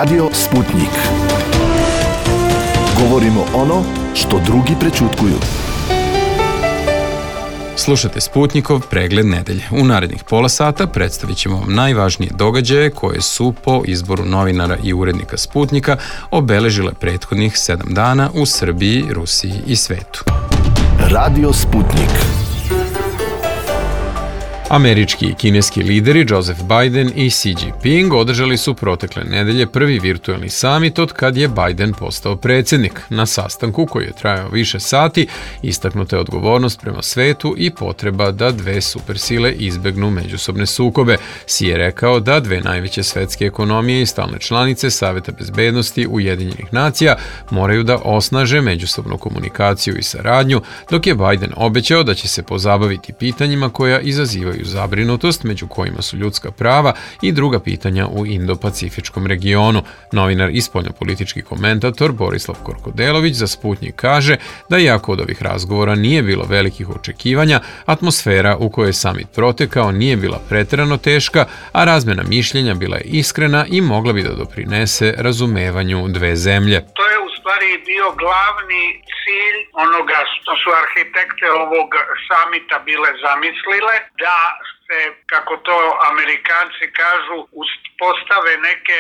Radio Sputnik. Govorimo ono što drugi prećutkuju. Slušate Sputnikov pregled nedelje. U narednih pola sata predstavit ćemo vam najvažnije događaje koje su po izboru novinara i urednika Sputnika obeležile prethodnih 7 dana u Srbiji, Rusiji i svetu. Radio Sputnik. Američki i kineski lideri Joseph Biden i Xi Jinping održali su protekle nedelje prvi virtuelni samit od kad je Biden postao predsjednik. Na sastanku, koji je trajao više sati, istaknuta je odgovornost prema svetu i potreba da dve supersile izbegnu međusobne sukobe. Xi je rekao da dve najveće svetske ekonomije i stalne članice Saveta bezbednosti Ujedinjenih nacija moraju da osnaže međusobnu komunikaciju i saradnju, dok je Biden obećao da će se pozabaviti pitanjima koja izazivaju zabrinutost, među kojima su ljudska prava i druga pitanja u Indo-Pacifičkom regionu. Novinar i spoljnopolitički komentator Borislav Korkodelović za Sputnik kaže da iako od ovih razgovora nije bilo velikih očekivanja, atmosfera u kojoj je samit protekao nije bila preterano teška, a razmjena mišljenja bila je iskrena i mogla bi da doprinese razumevanju dve zemlje. To je u stvari bio glavni cilj onoga što su arhitekte ovog samita bile zamislile, da se, kako to Amerikanci kažu, postave neke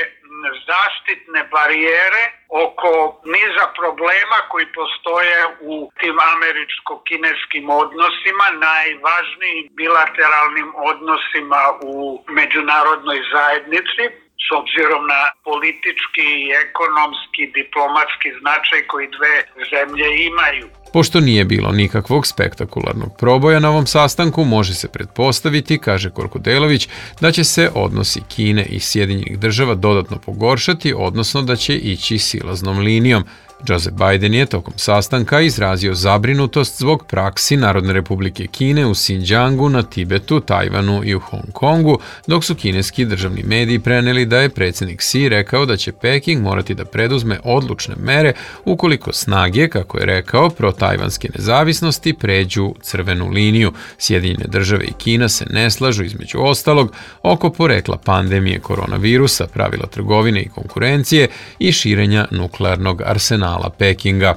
zaštitne barijere oko niza problema koji postoje u tim američko-kineskim odnosima, najvažnijim bilateralnim odnosima u međunarodnoj zajednici, s obzirom na politički, ekonomski, diplomatski značaj koji dve zemlje imaju. Pošto nije bilo nikakvog spektakularnog proboja na ovom sastanku, može se pretpostaviti, kaže Korkodelović, da će se odnosi Kine i Sjedinjenih država dodatno pogoršati, odnosno da će ići silaznom linijom. Joseph Biden je tokom sastanka izrazio zabrinutost zbog praksi Narodne republike Kine u Xinjiangu, na Tibetu, Tajvanu i u Hong Kongu, dok su kineski državni mediji preneli da je predsjednik Xi rekao da će Peking morati da preduzme odlučne mere ukoliko snage, kako je rekao, protajvanske nezavisnosti pređu crvenu liniju. Sjedinjene države i Kina se ne slažu, između ostalog, oko porekla pandemije koronavirusa, pravila trgovine i konkurencije i širenja nuklearnog arsenala Pekinga.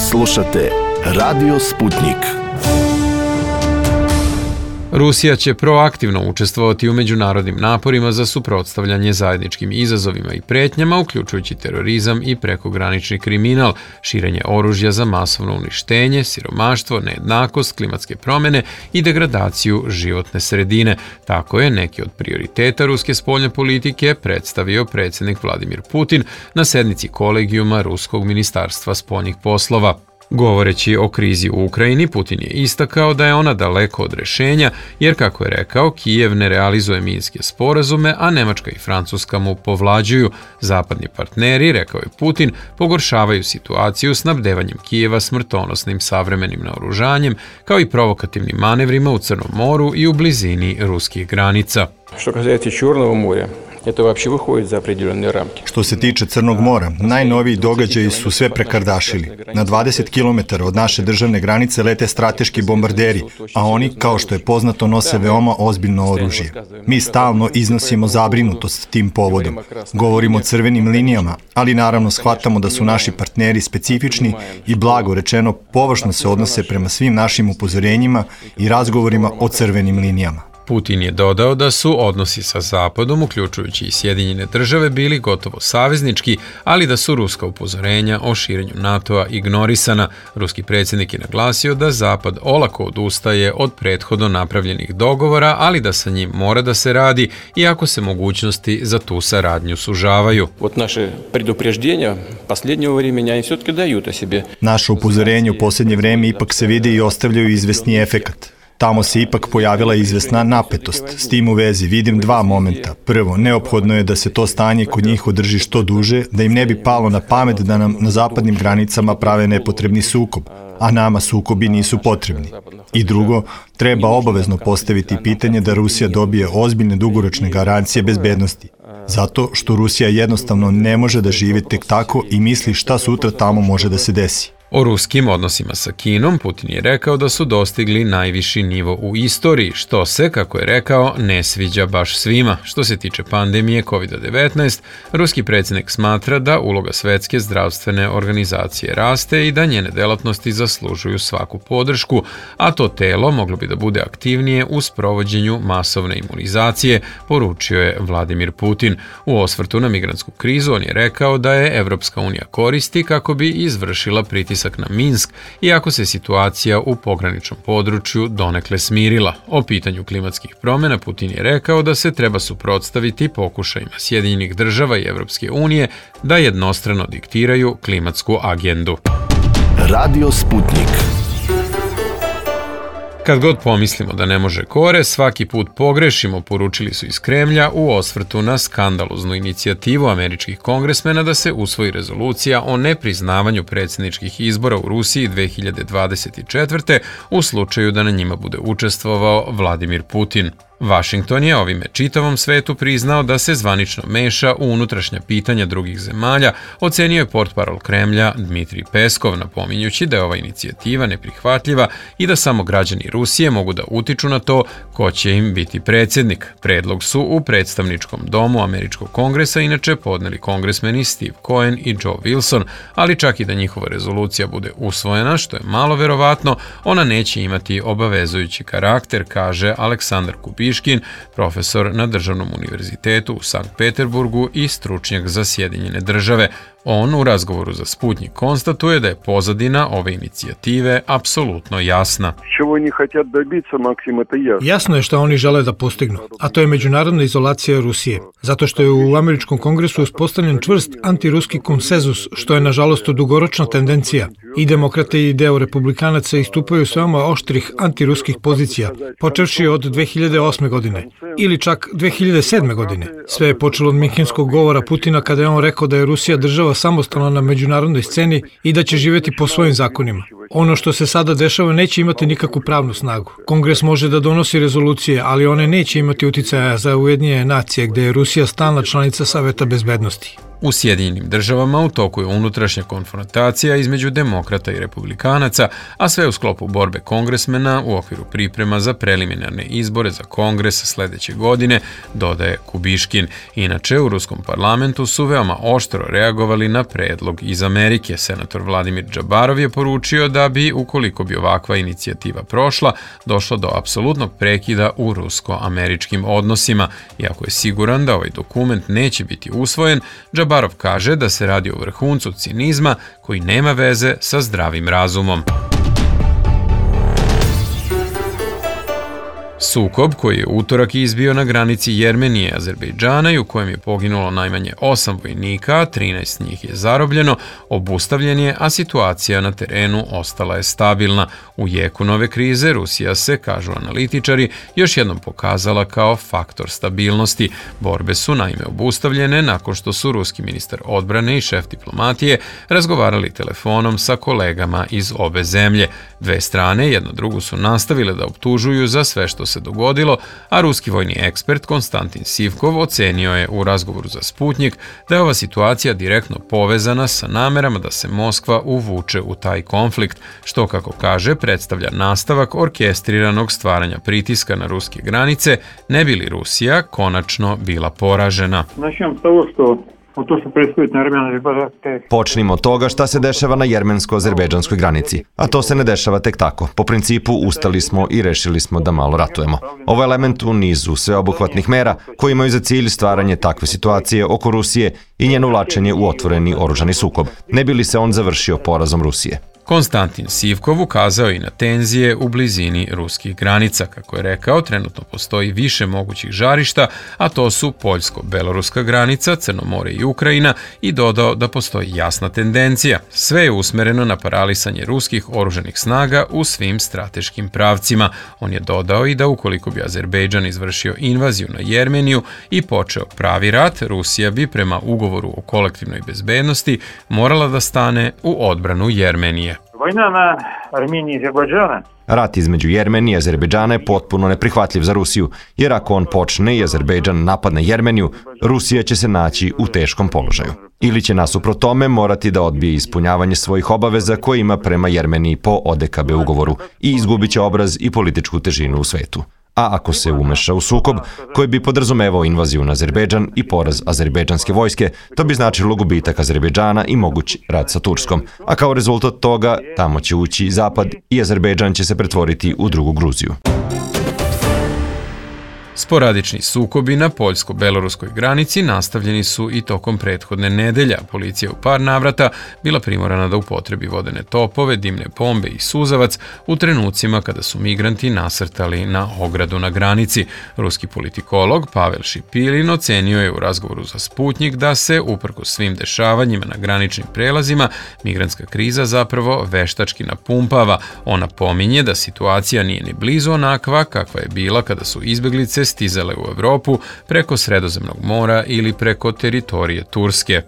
Slušate Radio Sputnik. Rusija će proaktivno učestvovati u međunarodnim naporima za suprotstavljanje zajedničkim izazovima i pretnjama, uključujući terorizam i prekogranični kriminal, širenje oružja za masovno uništenje, siromaštvo, nejednakost, klimatske promjene i degradaciju životne sredine. Tako je neki od prioriteta ruske spoljne politike predstavio predsjednik Vladimir Putin na sednici kolegijuma Ruskog ministarstva spoljnih poslova. Govoreći o krizi u Ukrajini, Putin je istakao da je ona daleko od rješenja, jer, kako je rekao, Kijev ne realizuje minske sporazume, a Nemačka i Francuska mu povlađuju. Zapadni partneri, rekao je Putin, pogoršavaju situaciju snabdevanjem Kijeva smrtonosnim savremenim naoružanjem, kao i provokativnim manevrima u Crnom moru i u blizini ruskih granica. Što kazati Čurnovo more, to uopće vyходит za определенные рамки. Što se tiče Crnog mora, najnoviji događaji su sve prekardašili. Na 20 km od naše državne granice lete strateški bombarderi, a oni, kao što je poznato, nose veoma ozbiljno oružje. Mi stalno iznosimo zabrinutost tim povodom. Govorimo o crvenim linijama, ali naravno shvatamo da su naši partneri specifični i, blago rečeno, površno se odnose prema svim našim upozorenjima i razgovorima o crvenim linijama. Putin je dodao da su odnosi sa Zapadom, uključujući i Sjedinjene države, bili gotovo saveznički, ali da su ruska upozorenja o širenju NATO-a ignorisana. Ruski predsjednik je naglasio da Zapad olako odustaje od prethodno napravljenih dogovora, ali da sa njim mora da se radi, iako se mogućnosti za tu saradnju sužavaju. Naše predupreždenja posljednjeg vremena oni все-таки daju o sebi. Naše upozorenje u posljednje vreme ipak se vide i ostavljaju izvesni efekat. Tamo se ipak pojavila izvesna napetost. S tim u vezi vidim dva momenta. Prvo, neophodno je da se to stanje kod njih održi što duže, da im ne bi palo na pamet da nam na zapadnim granicama prave nepotrebni sukob, a nama sukobi nisu potrebni. I drugo, treba obavezno postaviti pitanje da Rusija dobije ozbiljne dugoročne garancije bezbednosti. Zato što Rusija jednostavno ne može da živi tek tako i misli šta sutra tamo može da se desi. O ruskim odnosima sa Kinom Putin je rekao da su dostigli najviši nivo u istoriji, što se, kako je rekao, ne sviđa baš svima. Što se tiče pandemije COVID-19, ruski predsjednik smatra da uloga Svetske zdravstvene organizacije raste i da njene delatnosti zaslužuju svaku podršku, a to telo moglo bi da bude aktivnije u sprovođenju masovne imunizacije, poručio je Vladimir Putin. U osvrtu na migrantsku krizu on je rekao da je Evropska unija koristi kako bi izvršila pritisak na Minsk, iako se situacija u pograničnom području donekle smirila. O pitanju klimatskih promjena Putin je rekao da se treba suprotstaviti pokušajima Sjedinjenih država i Evropske unije da jednostrano diktiraju klimatsku agendu. Radio Sputnik. Kad god pomislimo da ne može kore, svaki put pogrešimo, poručili su iz Kremlja u osvrtu na skandaloznu inicijativu američkih kongresmena da se usvoji rezolucija o nepriznavanju predsjedničkih izbora u Rusiji 2024. u slučaju da na njima bude učestvovao Vladimir Putin. Washington je ovime čitavom svetu priznao da se zvanično meša u unutrašnja pitanja drugih zemalja, ocenio je portparol Kremlja Dmitrij Peskov, napominjući da je ova inicijativa neprihvatljiva i da samo građani Rusije mogu da utiču na to ko će im biti predsjednik. Predlog su u predstavničkom domu američkog kongresa inače podneli kongresmeni Steve Cohen i Joe Wilson, ali čak i da njihova rezolucija bude usvojena, što je malo verovatno, ona neće imati obavezujući karakter, kaže Aleksandar Kubiškin, profesor na Državnom univerzitetu u Sankt Peterburgu i stručnjak za Sjedinjene države. On u razgovoru za Sputnik konstatuje da je pozadina ove inicijative apsolutno jasna. Jasno je što oni žele da postignu, a to je međunarodna izolacija Rusije, zato što je u američkom kongresu uspostavljen čvrst antiruski konsenzus, što je nažalost dugoročna tendencija. I demokrate i deo republikanaca istupaju s veoma oštrih antiruskih pozicija, počevši od 2008. godine ili čak 2007. godine. Sve je počelo od minhenskog govora Putina kada je on rekao da je Rusija država samostalna na međunarodnoj sceni i da će živjeti po svojim zakonima. Ono što se sada dešava neće imati nikakvu pravnu snagu. Kongres može da donosi rezolucije, ali one neće imati uticaja za Ujedinjene nacije, gde je Rusija stalna članica Saveta bezbednosti. U Sjedinjenim državama u toku je unutrašnja konfrontacija između demokrata i republikanaca, a sve u sklopu borbe kongresmena u okviru priprema za preliminarne izbore za kongres sledeće godine, dodaje Kubiškin. Inače, u ruskom parlamentu su veoma oštro reagovali na predlog iz Amerike. Senator Vladimir Džabarov je poručio da bi, ukoliko bi ovakva inicijativa prošla, došlo do apsolutnog prekida u rusko-američkim odnosima. Iako je siguran da ovaj dokument neće biti usvojen, Džabarov kaže da se radi o vrhuncu cinizma koji nema veze sa zdravim razumom. Sukob koji je utorak izbio na granici Jermenije i Azerbejdžana i u kojem je poginulo najmanje 8 vojnika, 13 njih je zarobljeno, obustavljen je, a situacija na terenu ostala je stabilna. U jeku nove krize Rusija se, kažu analitičari, još jednom pokazala kao faktor stabilnosti. Borbe su naime obustavljene nakon što su ruski ministar odbrane i šef diplomatije razgovarali telefonom sa kolegama iz obe zemlje. Dve strane jedna drugu su nastavile da optužuju za sve što se dogodilo, a ruski vojni ekspert Konstantin Sivkov ocenio je u razgovoru za Sputnik da je ova situacija direktno povezana sa namerama da se Moskva uvuče u taj konflikt, što, kako kaže, predstavlja nastavak orkestriranog stvaranja pritiska na ruske granice, ne bi li Rusija konačno bila poražena. Počnimo od toga šta se dešava na jermensko-azerbejdžanskoj granici, a to se ne dešava tek tako. Po principu ustali smo i rešili smo da malo ratujemo. Ovo je element u nizu sveobuhvatnih mera koji imaju za cilj stvaranje takve situacije oko Rusije i njeno uvlačenje u otvoreni oružani sukob, ne bi li se on završio porazom Rusije. Konstantin Sivkov ukazao i na tenzije u blizini ruskih granica. Kako je rekao, trenutno postoji više mogućih žarišta, a to su poljsko-beloruska granica, Crno more i Ukrajina, i dodao da postoji jasna tendencija. Sve je usmereno na paralisanje ruskih oružanih snaga u svim strateškim pravcima. On je dodao i da ukoliko bi Azerbejdžan izvršio invaziju na Jermeniju i počeo pravi rat, Rusija bi prema ugovoru o kolektivnoj bezbednosti morala da stane u odbranu Jermenije. Rat između Jermenije i Azerbejdžana je potpuno neprihvatljiv za Rusiju, jer ako on počne i Azerbejdžan napadne Jermeniju, Rusija će se naći u teškom položaju. ili će nasuprot tome morati da odbije ispunjavanje svojih obaveza koje ima prema Jermeniji po ODKB ugovoru i izgubit će obraz i političku težinu u svetu. A ako se umeša u sukob koji bi podrazumevao invaziju na Azerbejdžan i poraz azerbejdžanske vojske, to bi značilo gubitak Azerbejdžana i moguć rat sa Turskom. A kao rezultat toga, tamo će ući i Zapad i Azerbejdžan će se pretvoriti u drugu Gruziju. Sporadični sukobi na poljsko-beloruskoj granici nastavljeni su i tokom prethodne nedelje. Policija u par navrata bila primorana da upotrebi vodene topove, dimne bombe i suzavac u trenucima kada su migranti nasrtali na ogradu na granici. Ruski politikolog Pavel Šipilin ocenio je u razgovoru za Sputnjik da se, uprkos svim dešavanjima na graničnim prelazima, migrantska kriza zapravo veštački napumpava. Ona pominje da situacija nije ni blizu onakva kakva je bila kada su izbeglice stizale u Evropu preko Sredozemnog mora ili preko teritorije Turske.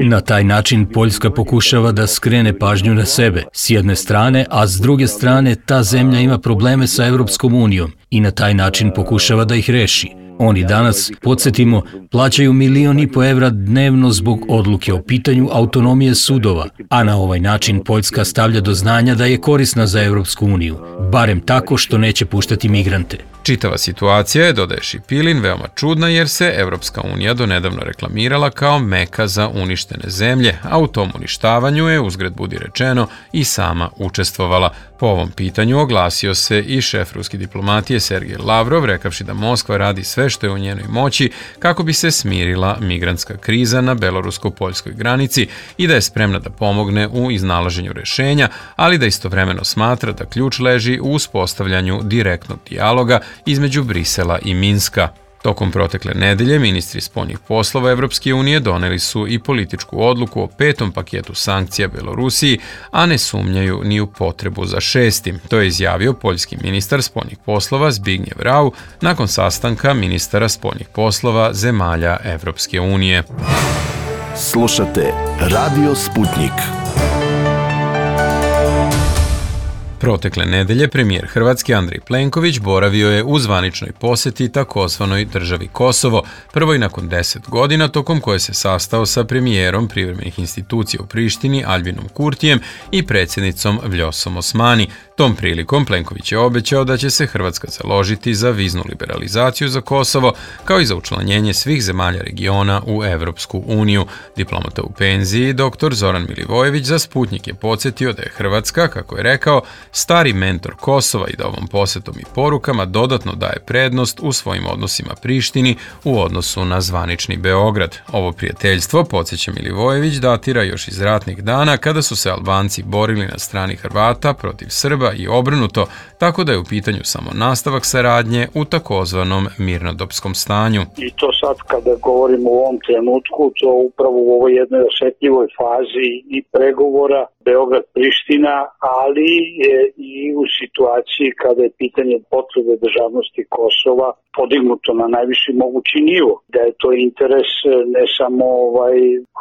Na taj način Poljska pokušava da skrene pažnju na sebe, s jedne strane, a s druge strane ta zemlja ima probleme sa Evropskom unijom i na taj način pokušava da ih reši. Oni danas, podsjetimo, plaćaju 1,5 miliona evra dnevno zbog odluke o pitanju autonomije sudova, a na ovaj način Poljska stavlja do znanja da je korisna za Evropsku uniju, barem tako što neće puštati migrante. Čitava situacija je, dodaje Šipilin, veoma čudna jer se Evropska unija donedavno reklamirala kao meka za uništene zemlje, a u tom uništavanju je, uzgred budi rečeno, i sama učestvovala. Po ovom pitanju oglasio se i šef ruske diplomatije Sergej Lavrov, rekavši da Moskva radi sve što je u njenoj moći kako bi se smirila migrantska kriza na belorusko-poljskoj granici i da je spremna da pomogne u iznalaženju rešenja, ali da istovremeno smatra da ključ leži u uspostavljanju direktnog dijaloga između Brisela i Minska. Tokom protekle nedelje ministri spoljnih poslova Evropske unije doneli su i političku odluku o 5. paketu sankcija Belorusiji, a ne sumnjaju ni u potrebu za 6. To je izjavio poljski ministar spoljnih poslova Zbigniew Rau nakon sastanka ministara spoljnih poslova zemalja Evropske unije. Slušate Radio Sputnjik. Protekle nedelje premijer Hrvatske Andrej Plenković boravio je u zvaničnoj poseti takozvanoj državi Kosovo, prvoj nakon 10 godina, tokom koje se sastao sa premijerom privremenih institucija u Prištini Albinom Kurtijem i predsjednicom Vljosom Osmani. Tom prilikom Plenković je obećao da će se Hrvatska založiti za viznu liberalizaciju za Kosovo, kao i za učlanjenje svih zemalja regiona u Evropsku uniju. Diplomata u penziji, dr. Zoran Milivojević, za Sputnjik je podsjetio da je Hrvatska, kako je rekao, stari mentor Kosova i da ovom posetom i porukama dodatno daje prednost u svojim odnosima Prištini u odnosu na zvanični Beograd. Ovo prijateljstvo, podsjeća Milivojević, datira još iz ratnih dana kada su se Albanci borili na strani Hrvata protiv Srba i obrnuto, tako da je u pitanju samo nastavak saradnje u takozvanom mirnodopskom stanju. I to sad kada govorimo u ovom trenutku, to upravo u ovoj jednoj osetljivoj fazi i pregovora Beograd-Priština, ali je i u situaciji kada je pitanje potvrde državnosti Kosova podignuto na najviši mogući nivo. Da je to interes ne samo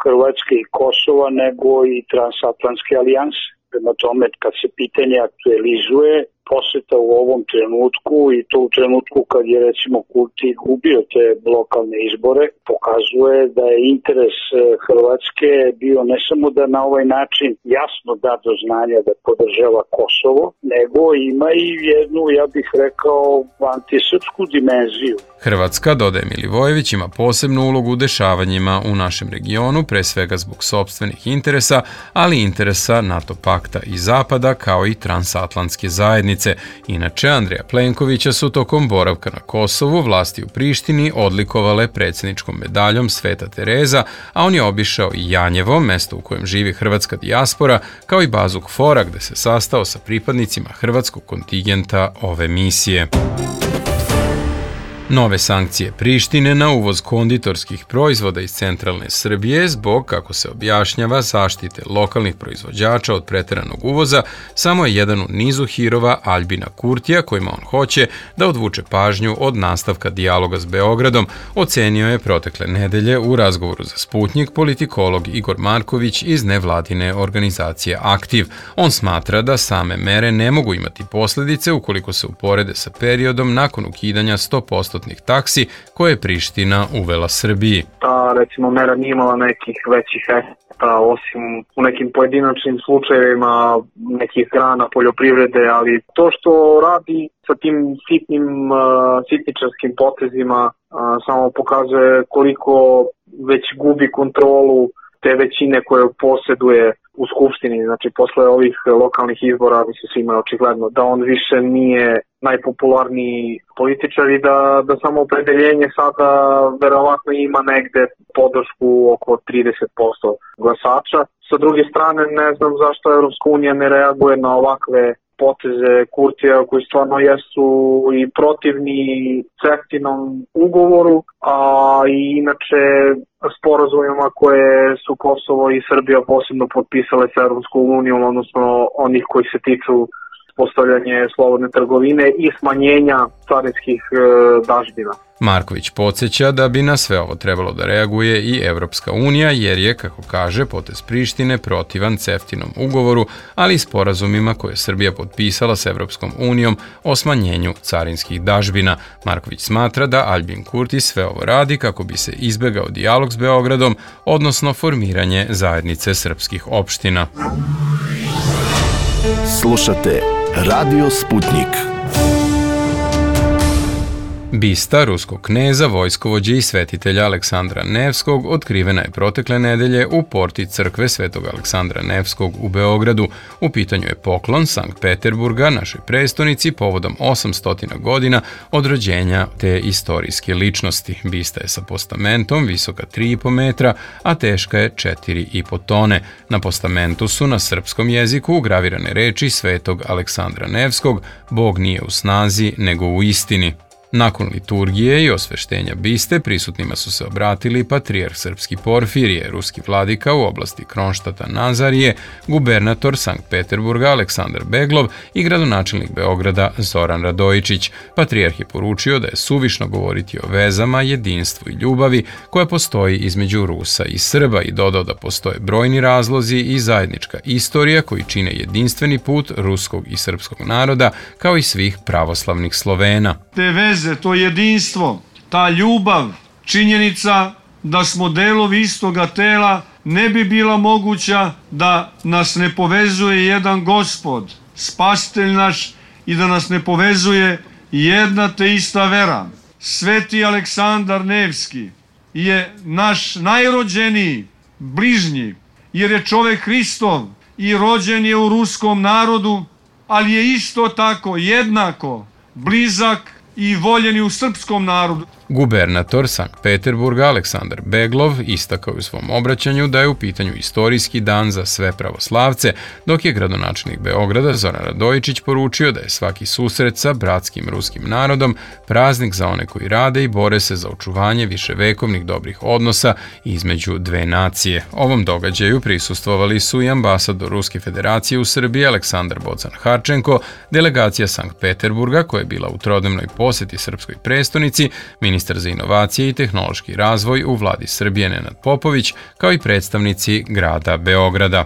Hrvatske i Kosova, nego i transatlantske alijanse. Prema tome, kad se pitanje aktualizuje, poseta u ovom trenutku i to u trenutku kad je recimo Kurti gubio te lokalne izbore, pokazuje da je interes Hrvatske bio ne samo da na ovaj način jasno da do znanja da podržava Kosovo, nego ima i jednu, ja bih rekao, antisrpsku dimenziju. Hrvatska, dodaje Milivojević, ima posebnu ulogu u dešavanjima u našem regionu, pre svega zbog sopstvenih interesa, ali interesa NATO pakta i Zapada, kao i transatlantske zajednice. Inače, Andreja Plenkovića su tokom boravka na Kosovu vlasti u Prištini odlikovale predsjedničkom medaljom Sveta Tereza, a on je obišao i Janjevo, mesto u kojem živi hrvatska dijaspora, kao i bazu KFOR-a gde se sastao sa pripadnicima hrvatskog kontingenta ove misije. Nove sankcije Prištine na uvoz konditorskih proizvoda iz centralne Srbije zbog, kako se objašnjava, zaštite lokalnih proizvođača od preteranog uvoza samo je jedan u nizu hirova Albina Kurtija kojima on hoće da odvuče pažnju od nastavka dijaloga s Beogradom, ocenio je protekle nedelje u razgovoru za Sputnjik politikolog Igor Marković iz nevladine organizacije Aktiv. On smatra da same mere ne mogu imati posljedice ukoliko se uporede sa periodom nakon ukidanja 100% 0% taksi koje je Priština uvela Srbiji. Ta, recimo, mera nije imala nekih većih efekta, osim u nekim pojedinačnim slučajevima nekih grana poljoprivrede, ali to što radi sa tim sitničarskim potezima samo pokazuje koliko već gubi kontrolu te većine koje posjeduje u Skupštini. Znači, posle ovih lokalnih izbora, mislim, svima je očigledno da on više nije najpopularniji političar i da samo opredeljenje sada verovatno ima negde podršku oko 30% glasača. Sa druge strane, ne znam zašto Evropska unija ne reaguje na ovakve poteze Kurtija koji stvarno jesu i protivni CEFTA-inom ugovoru, a i inače sporazumima koje su Kosovo i Srbija posebno potpisale sa Evropskom unijom, odnosno onih koji se tiču postavljanje slobodne trgovine i smanjenja carinskih dažbina. Marković podsjeća da bi na sve ovo trebalo da reaguje i Evropska unija, jer je, kako kaže, potez Prištine protivan CEFTA-inom ugovoru, ali i sporazumima koje je Srbija potpisala s Evropskom unijom o smanjenju carinskih dažbina. Marković smatra da Aljbin Kurti sve ovo radi kako bi se izbegao dijalog s Beogradom, odnosno formiranje zajednice srpskih opština. Slušate Radio Sputnik. Bista ruskog kneza, vojskovođe i svetitelja Aleksandra Nevskog otkrivena je protekle nedelje u porti crkve Svetog Aleksandra Nevskog u Beogradu. U pitanju je poklon Sankt Peterburga, našoj prestonici, povodom 800 godina od rođenja te istorijske ličnosti. Bista je sa postamentom visoka 3,5 metra, a teška je 4,5 tone. Na postamentu su na srpskom jeziku ugravirane reči Svetog Aleksandra Nevskog: Bog nije u snazi, nego u istini. Nakon liturgije i osveštenja biste prisutnima su se obratili patrijarh srpski Porfirije, ruski vladika u oblasti Kronštata Nazarije, gubernator Sankt Peterburga Aleksandar Beglov i gradonačelnik Beograda Zoran Radojičić. Patrijarh je poručio da je suvišno govoriti o vezama, jedinstvu i ljubavi koja postoji između Rusa i Srba i dodao da postoje brojni razlozi i zajednička istorija koji čine jedinstveni put ruskog i srpskog naroda kao i svih pravoslavnih Slovena. Te veze, to jedinstvo, ta ljubav, činjenica da smo delovi istoga tela ne bi bila moguća da nas ne povezuje jedan Gospod, spasitelj naš, i da nas ne povezuje jedna te ista vera. Sveti Aleksandar Nevski je naš najrođeniji bližnji, jer je čovek Hristov i rođen je u ruskom narodu, ali je isto tako jednako blizak i voljeni u srpskom narodu. Gubernator Sankt Peterburga Aleksandar Beglov istakao u svom obraćanju da je u pitanju istorijski dan za sve pravoslavce, dok je gradonačelnik Beograda Zoran Radojičić poručio da je svaki susret sa bratskim ruskim narodom praznik za one koji rade i bore se za očuvanje viševekovnih dobrih odnosa između dve nacije. Ovom događaju prisustvovali su i ambasador Ruske federacije u Srbiji Aleksandar Bocan Harčenko, delegacija Sankt Peterburga koja je bila u trodnevnoj poseti srpskoj prestonici, ministar za inovacije i tehnološki razvoj u vladi Srbije Nenad Popović, kao i predstavnici grada Beograda.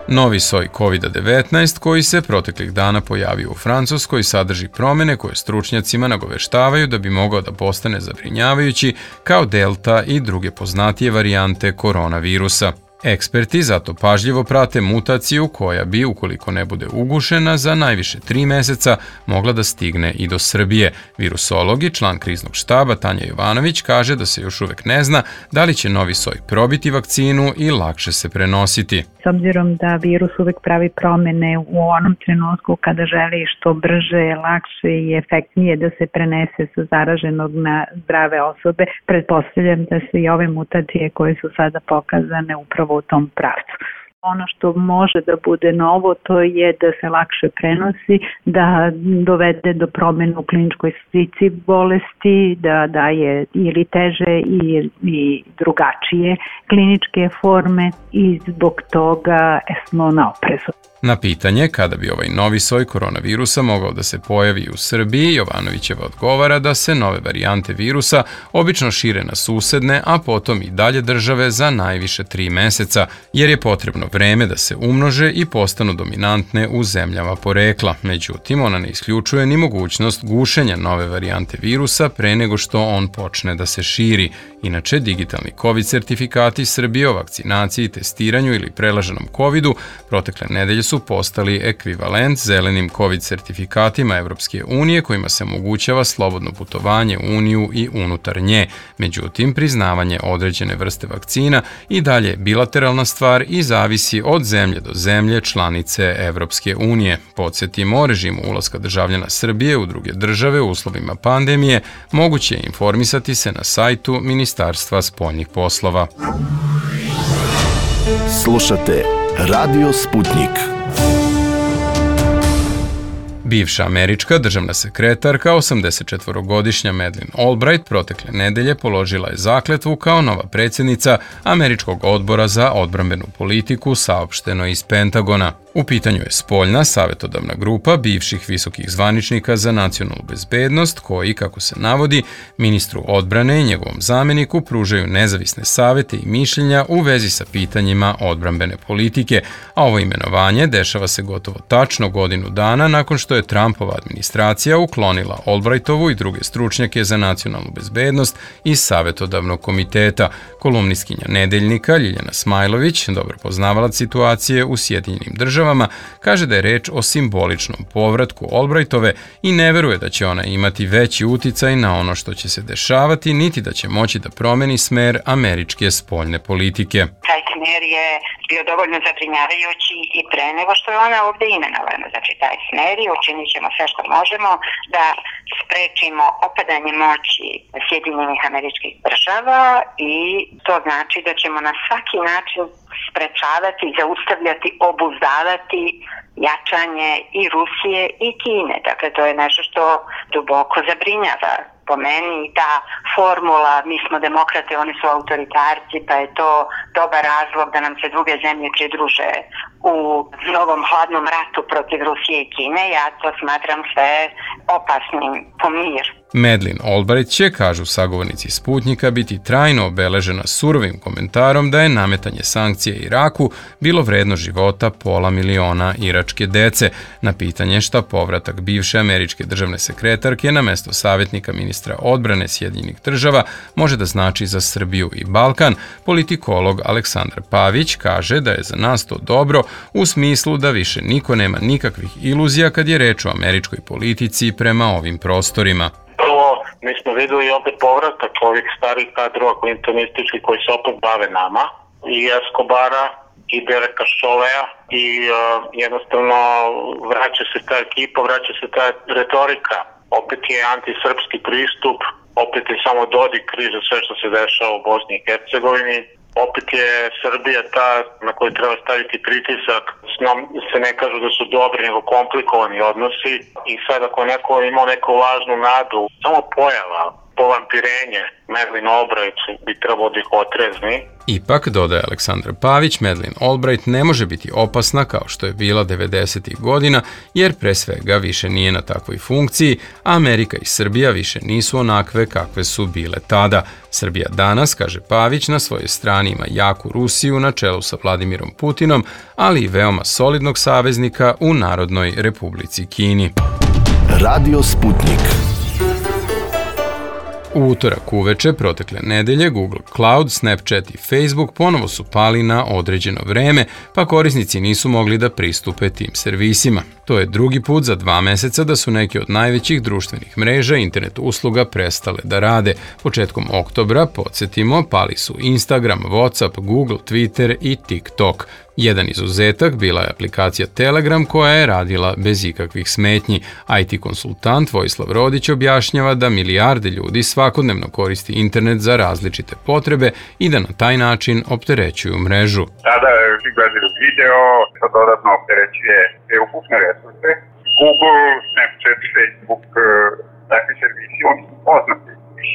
Novi soj COVID-19 koji se proteklih dana pojavio u Francuskoj sadrži promene koje stručnjacima nagoveštavaju da bi mogao da postane zabrinjavajući kao delta i druge poznatije varijante koronavirusa. Eksperti zato pažljivo prate mutaciju koja bi, ukoliko ne bude ugušena, za najviše 3 meseca mogla da stigne i do Srbije. Virusolog i član kriznog štaba Tanja Jovanović kaže da se još uvek ne zna da li će novi soj probiti vakcinu i lakše se prenositi. S obzirom da virus uvek pravi promene u onom trenutku kada želi što brže, lakše i efektnije da se prenese sa zaraženog na zdrave osobe, pretpostavljam da su i ove mutacije koje su sada pokazane upravo u tom pravcu. Ono što može da bude novo, to je da se lakše prenosi, da dovede do promjena u kliničkoj slici bolesti, da daje ili teže i drugačije kliničke forme i zbog toga smo na oprezu. Na pitanje kada bi ovaj novi soj koronavirusa mogao da se pojavi u Srbiji, Jovanovićeva odgovara da se nove varijante virusa obično šire na susedne, a potom i dalje države za najviše 3 meseca, jer je potrebno vreme da se umnože i postanu dominantne u zemljama porekla. Međutim, ona ne isključuje ni mogućnost gušenja nove varijante virusa pre nego što on počne da se širi. Inače, digitalni COVID sertifikati Srbije o vakcinaciji, testiranju ili prelaženom COVID-u protekle nedelje su postali ekvivalent zelenim COVID sertifikatima Evropske unije kojima se omogućava slobodno putovanje u Uniju i unutar nje. Međutim, priznavanje određene vrste vakcina i dalje je bilateralna stvar i zavisi od zemlje do zemlje članice Evropske unije. Podsjetimo, o režimu ulaska državljana Srbije u druge države u uslovima pandemije moguće je informisati se na sajtu Ministarstva spoljnih poslova. Slušate Radio Sputnik. Bivša američka državna sekretarka, 84-godišnja Madeleine Albright, protekle nedelje položila je zakletvu kao nova predsjednica Američkog odbora za odbrambenu politiku, saopšteno iz Pentagona. U pitanju je spoljna savjetodavna grupa bivših visokih zvaničnika za nacionalnu bezbednost koji, kako se navodi, ministru odbrane i njegovom zameniku pružaju nezavisne savjete i mišljenja u vezi sa pitanjima odbrambene politike, a ovo imenovanje dešava se gotovo tačno godinu dana nakon što je Trumpova administracija uklonila Albrightovu i druge stručnjake za nacionalnu bezbednost iz savjetodavnog komiteta. Kolumnistkinja Nedeljnika Ljiljana Smajlović, dobro poznavalac situacije u Sjedinjenim državama, kaže da je reč o simboličnom povratku Albrightove i ne veruje da će ona imati veći uticaj na ono što će se dešavati, niti da će moći da promeni smer američke spoljne politike. Taj smer je bio dovoljno zabrinjavajući i pre nego što je ona ovdje imenovana. Znači, taj smer i učinit ćemo sve što možemo da sprečimo opadanje moći Sjedinjenih Američkih Država i to znači da ćemo na svaki način sprečavati, zaustavljati, obuzdavati jačanje i Rusije i Kine. Dakle, to je nešto što duboko zabrinjava. Po meni ta formula, mi smo demokrate, oni su autoritarci, pa je to dobar razlog da nam se druge zemlje pridruže u novom hladnom ratu protiv Rusije i Kine. Ja to smatram sve opasnim po mir. Madeleine Albright će, kažu sagovornici Sputnika, biti trajno obeležena surovim komentarom da je nametanje sankcije Iraku bilo vredno života 500.000 iračke dece. Na pitanje šta povratak bivše američke državne sekretarke na mesto savjetnika ministra odbrane Sjedinjenih država može da znači za Srbiju i Balkan, politikolog Aleksandar Pavić kaže da je za nas to dobro u smislu da više niko nema nikakvih iluzija kad je reč o američkoj politici prema ovim prostorima. Mi smo videli opet povratak ovih starih kadrova klintonistički koji se opet bave nama, i Escobara, i Dereka Šolea, i jednostavno vraća se ta ekipa, vraća se ta retorika. Opet je antisrpski pristup, opet je samo Dodik kriv za sve što se dešava u Bosni i Hercegovini. Opet je Srbija ta na koju treba staviti pritisak. S njom se ne kažu da su dobri, nego komplikovani odnosi. I sad ako neko ima neku lažnu nadu, samo pojava, povampirenje Madeleine Albright bi trebalo da ih otrezni. Ipak, dodaje Aleksandar Pavić, Madeleine Albright ne može biti opasna kao što je bila 90. godina, jer pre svega više nije na takvoj funkciji, a Amerika i Srbija više nisu onakve kakve su bile tada. Srbija danas, kaže Pavić, na svojoj strani ima jaku Rusiju na čelu sa Vladimirom Putinom, ali i veoma solidnog saveznika u Narodnoj Republici Kini. Radio Sputnik. U utorak uveče protekle nedelje Google Cloud, Snapchat i Facebook ponovo su pali na određeno vreme, pa korisnici nisu mogli da pristupe tim servisima. To je drugi put za 2 meseca da su neki od najvećih društvenih mreža i internet usluga prestale da rade. Početkom oktobra, podsjetimo, pali su Instagram, WhatsApp, Google, Twitter i TikTok. Jedan izuzetak bila je aplikacija Telegram koja je radila bez ikakvih smetnji. IT konsultant Vojislav Rodić objašnjava da milijarde ljudi svakodnevno koristi internet za različite potrebe i da na taj način opterećuju mrežu. Sada gledaju video, to dodatno opterećuje ukupne resurse. Google, Snapchat, Facebook, takvi servisi, oni su poznati.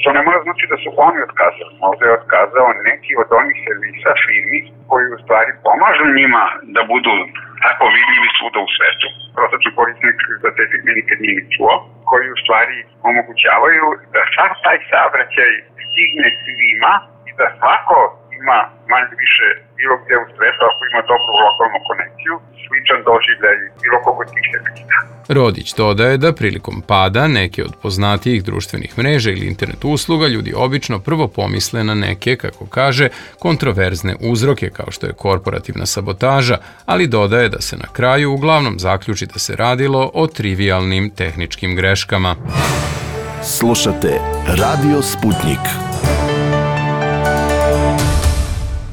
To ne mora znači da su oni otkazali. Možda je otkazao neki od onih servisa firmi koji u stvari pomažu njima da budu tako vidljivi svuda u svetu. Prosječni korisnik za te firme nikad nije ni čuo, koji u stvari omogućavaju da sav taj saobraćaj stigne svima i da svako ima manje više bilo gde u svetu ako ima dobru lokalnu konekciju, sličan doživljaj bilo kog od tih servisa. Rodić dodaje da prilikom pada neke od poznatijih društvenih mreža ili internet usluga ljudi obično prvo pomisle na neke, kako kaže, kontroverzne uzroke kao što je korporativna sabotaža, ali dodaje da se na kraju uglavnom zaključi da se radilo o trivialnim tehničkim greškama. Slušate Radio Sputnik.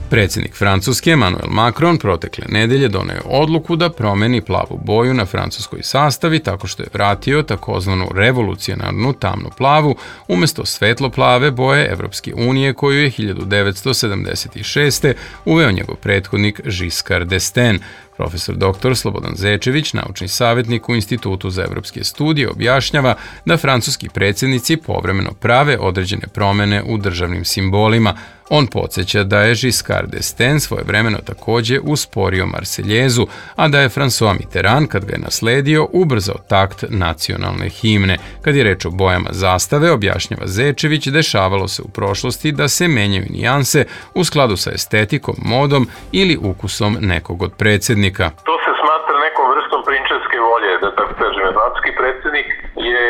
Predsjednik Francuske Emmanuel Macron protekle nedelje doneo odluku da promeni plavu boju na francuskoj sastavi tako što je vratio takozvanu revolucionarnu tamnu plavu umjesto svetlo-plave boje Evropske unije koju je 1976. uveo njegov prethodnik Giscard d'Estaing. Profesor dr. Slobodan Zečević, naučni savjetnik u Institutu za evropske studije, objašnjava da francuski predsjednici povremeno prave određene promjene u državnim simbolima. On podsjeća da je Giscard d'Estaing svojevremeno također usporio Marseljezu, a da je François Mitterrand, kad ga je nasledio, ubrzao takt nacionalne himne. Kad je reč o bojama zastave, objašnjava Zečević, dešavalo se u prošlosti da se menjaju nijanse u skladu sa estetikom, modom ili ukusom nekog od predsjednika. To se smatra nekom vrstom prinčevske volje, da tako kažem. Francuski predsjednik je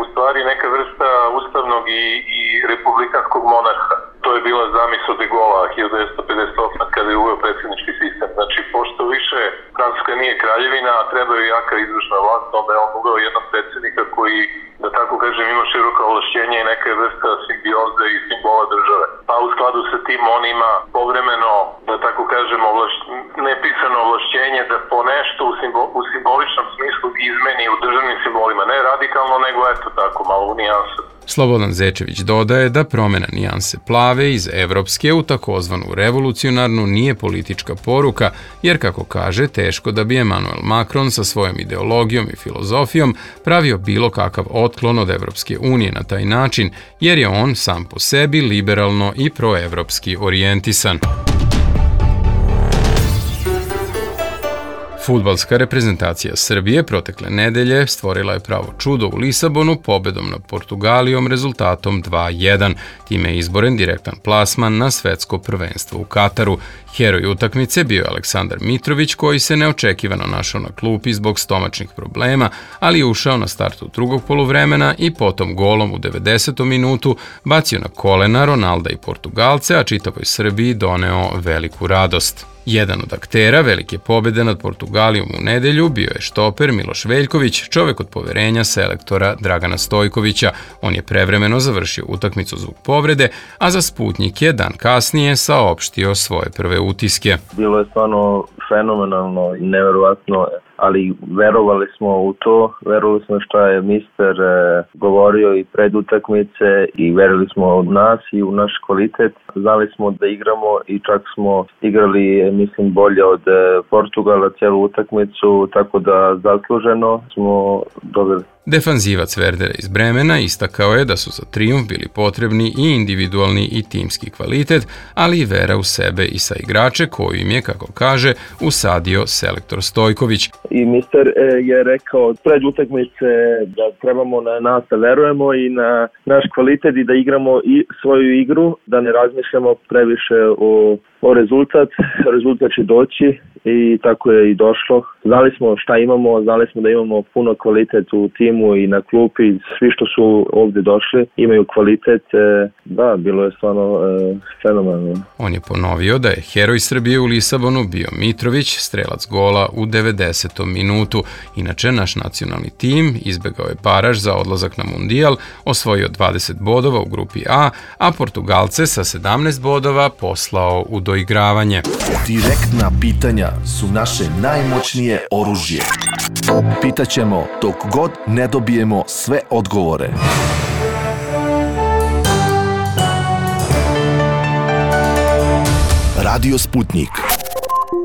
u stvari neka vrsta ustavnog i republikanskog monarha. To je bila zamisao de Gaulla 1958. kada je uveo predsjednički sistem. Znači, pošto više Francuska nije kraljevina, a treba je jaka izvršna vlast, onda je on uveo jednog predsjednika koji, da tako kažem, ima široka ovlašćenja i neka vrsta simbioze i simbola države. Pa u skladu sa tim on ima povremeno, da tako kažem, nepisano ovlašćenje da po nešto u simboličnom smislu izmeni u državnim simbolima. Ne radikalno, nego eto tako, malo u nijansu. Slobodan Zečević dodaje da promjena nijanse plave iz evropske u takozvanu revolucionarnu nije politička poruka, jer kako kaže, teško da bi Emmanuel Macron sa svojom ideologijom i filozofijom pravio bilo kakav otklon od Evropske unije na taj način, jer je on sam po sebi liberalno i proevropski orijentisan. Fudbalska reprezentacija Srbije protekle nedelje stvorila je pravo čudo u Lisabonu pobedom nad Portugalijom rezultatom 2:1. Time je izboren direktan plasman na svetsko prvenstvo u Kataru. Heroj utakmice bio je Aleksandar Mitrović koji se neočekivano našao na klupi zbog stomačnih problema, ali je ušao na startu drugog poluvremena i potom golom u 90. minutu bacio na kolena Ronalda i Portugalce, a čitavoj Srbiji doneo veliku radost. Jedan od aktera velike pobjede nad Portugalijom u nedelju bio je štoper Miloš Veljković, čovjek od poverenja selektora Dragana Stojkovića. On je prevremeno završio utakmicu zbog povrede, a za Sputnik je dan kasnije saopštio svoje prve utiske. Bilo je stvarno fenomenalno i neverovatno, ali verovali smo u to, verovali smo šta je mister govorio i pred utakmice i verili smo u nas i u naš kvalitet. Znali smo da igramo i čak smo igrali, mislim, bolje od Portugala cijelu utakmicu, tako da zasluženo smo dobili. Defanzivac Werdera iz Bremena istakao je da su za trijumf bili potrebni i individualni i timski kvalitet, ali i vera u sebe i sa igrače koju im je, kako kaže, usadio selektor Stojković. I mister je rekao pred utakmice da trebamo na nas da verujemo i na naš kvalitet i da igramo i svoju igru, da ne razmišljamo previše o rezultat će doći i tako je i došlo. Znali smo šta imamo, znali smo da imamo puno kvalitet u timu i na klupi, svi što su ovdje došli imaju kvalitet, da, bilo je stvarno fenomenalno. On je ponovio da je heroj Srbije u Lisabonu bio Mitrović, strelac gola u 90. minutu. Inače, naš nacionalni tim izbegao je baraž za odlazak na Mundijal, osvojio 20 bodova u grupi A, a Portugalce sa 17 bodova poslao u doigravanje. Direktna pitanja su naše najmoćnije oružje. Pitaćemo dok god ne dobijemo sve odgovore. Radio Sputnik.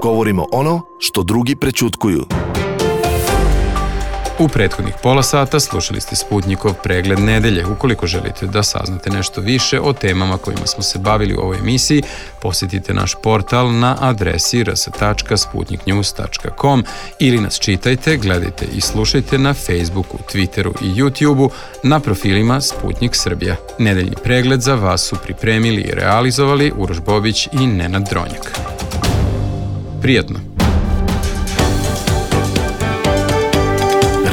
Govorimo ono što drugi prećutkuju. U prethodnih pola sata slušali ste Sputnikov pregled nedelje. Ukoliko želite da saznate nešto više o temama kojima smo se bavili u ovoj emisiji, posjetite naš portal na adresi rs.sputniknews.com ili nas čitajte, gledajte i slušajte na Facebooku, Twitteru i YouTubeu na profilima Sputnik Srbija. Nedeljni pregled za vas su pripremili i realizovali Uroš Bobić i Nenad Dronjak. Prijatno!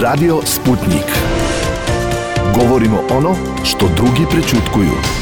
Radio Sputnik. Govorimo ono što drugi prećutkuju.